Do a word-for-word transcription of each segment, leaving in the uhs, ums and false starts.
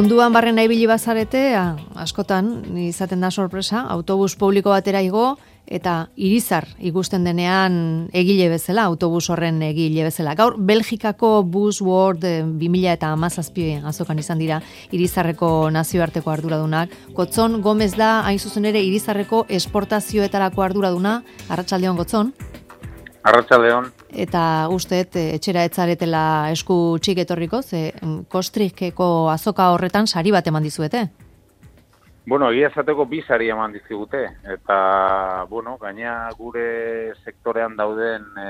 Munduan barrena ibili bazarete, askotan izaten da sorpresa, autobus publiko batera igo eta Irizar ikusten denean egile bezala, autobus horren egile bezala. Gaur, Belgikako Bus World bi mila hamazazpi azokan izan dira Irizarreko nazioarteko arduradunak. Gotzon Gomez da, hain zuzen ere, Irizarreko esportazioetarako arduraduna. Arratsaldeon, Gotzon. Arratsaldeon. Eta usteet etxera etzaretela esku txik etorriko, ze Kostrikeko azoka horretan sari bat eman dizuete? Bueno, egia esateko bi sari eman dizigute, eta, bueno, gaina gure sektorean dauden e,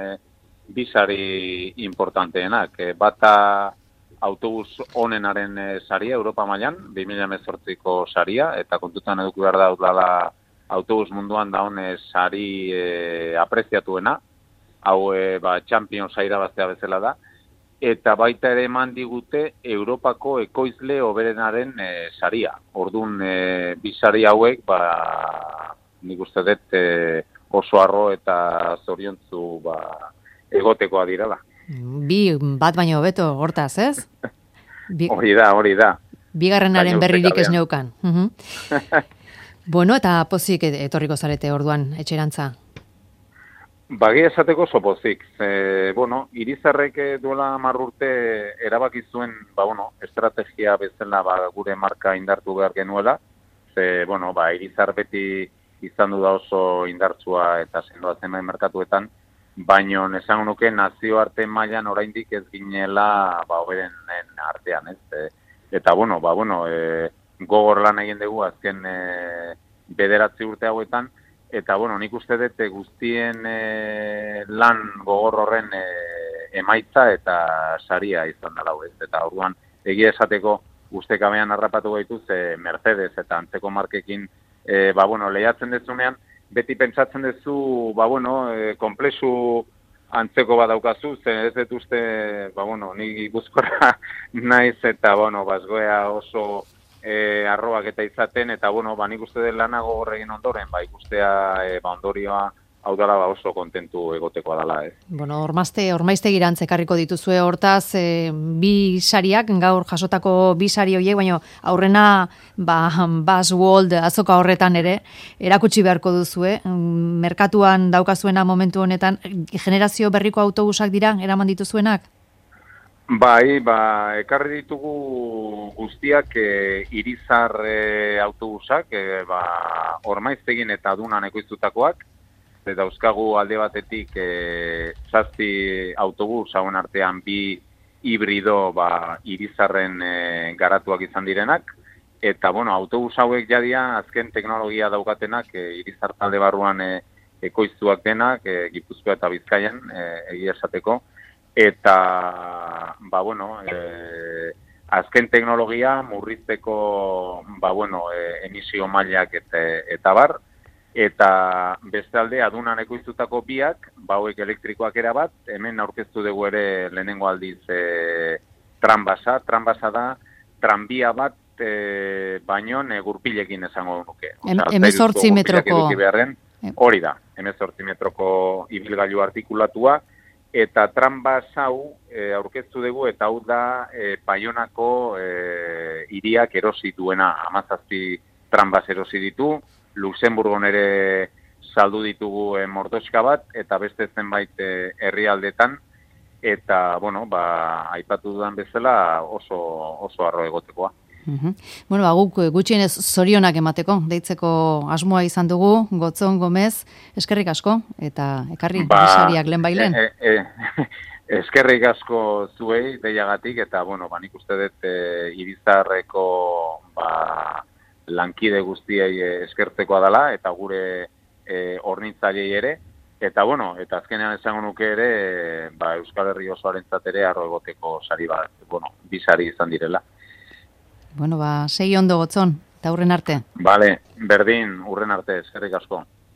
bi sari importanteenak. E, bata autobus onenaren e, saria, Europa mailan, bi mila hemezortziko saria, eta kontutan eduki behar da udala autobus munduan daun e, sari e, apreziatuena, hau e, ba, Champions irabaztea bezala da, eta baita ere eman digute Europako ekoizle hoberenaren e, saria. Ordun e, bi sari hauek, ba, nik uste dut e, oso harro eta zoriontzu ba, egotekoa direla. Bi bat baino hobeto hortaz, ez? Bi... Hori da, hori da. Bigarrenaren berririk ez neukan. Uh-huh. Bueno, eta pozik etorriko zarete orduan etxerantza. Bagia esateko oso pozik. E, bueno, Irizarrek duela hamar urte erabaki zuen, ba, bueno, estrategia bezala ba, gure marka indartu behar genuela. Ze, bueno, ba, Irizar beti izan du da oso indartsua eta sendoa zenbait merkatuetan, baino esango nuke nazioarte mailan oraindik ez ginela ba, hoberenen artean, ez? E, eta, bueno, ba, bueno, e, gogor lan egin dugu azken e, bederatzi urte hauetan, eta, bueno, nik uste dut guztien e, lan gogor horren e, emaitza eta saria izan dela ez. Eta orduan, egia esateko ustekabean harrapatu gaituz e, Mercedes eta antzeko markekin e, ba, bueno, lehiatzen dezunean, beti pentsatzen duzu, ba, bueno, e, komplexu antzeko badaukazu, zen ez dut uste, ba, bueno, nik Gipuzkoara naiz eta, bueno, bazgoea oso E, arroak eta izaten, eta, bueno, ba, nik uste den lana gogorregin ondoren, ba, ikustea e, ba, ondorioa hau dala ba, oso kontentu egotekoa dela, ez. Bueno, ormaizte, ormaizte girantzekarriko dituzue hortaz, e, bi sariak, gaur jasotako bi sari horiek, baina aurrena, ba, Bus World azoka horretan ere, erakutsi beharko duzue, merkatuan daukazuena momentu honetan, generazio berriko autobusak dira, eraman dituzuenak? Bai, ba, ekarri ditugu guztiak e, Irizar e, autobusak, e, ba, Ormaiztegin eta Adunan ekoiztutakoak, eta dauzkagu alde batetik e, zazpi autobus hauen artean bi hibrido ba, Irizarren e, garatuak izan direnak, eta, bueno, autobus hauek jadia azken teknologia daukatenak e, Irizar talde barruan e, ekoiztuak denak, e, Gipuzkoa eta Bizkaian, e, egia esateko, eta, ba, bueno, e, azken teknologia murrizteko, ba, bueno, e, emisio mailak eta, eta bar, eta bestalde Adunan ekoiztutako biak, ba, hauek elektrikoak era bat, hemen aurkeztu dugu ere lehenengo aldiz e, tranbasa, tranbasa da, tranbia bat, e, baino e, gurpilekin esango nuke. Hemezortzi metroko. Hori da, hemezortzi metroko ibilgailu artikulatua, eta tranbas hau e, aurkeztu dugu, eta hau da e, Baionako e, hiriak erosi duena, hamazazpi tranbas erosi ditu, Luxemburgon ere saldu ditugu e, mordoska bat, eta beste zenbait e, herrialdetan, eta, bueno, ba, aipatu dudan bezala oso, oso arro egotekoa. Uh-huh. Bueno, ba, guk gutxienez zorionak emateko, deitzeko asmoa izan dugu, Gotzon Gomez, eskerrik asko, eta ekarri ba, sariak lehen bailen. E, e, e, eskerrik asko zuei, deiagatik, eta, bueno, ba, nik uste dut e, Irizarreko ba, lankide guztiei eskertzekoa dela, eta gure e, hornitzailei ere, eta, bueno, eta azkenean esango nuke ere, ba, Euskal Herri osoarentzat ere arro egoteko sari bat, bueno, bi sari izan direla. Bueno, ba, segi ondo Gotzon, eta hurren arte. Vale, berdin, hurren arte, eskerrik asko.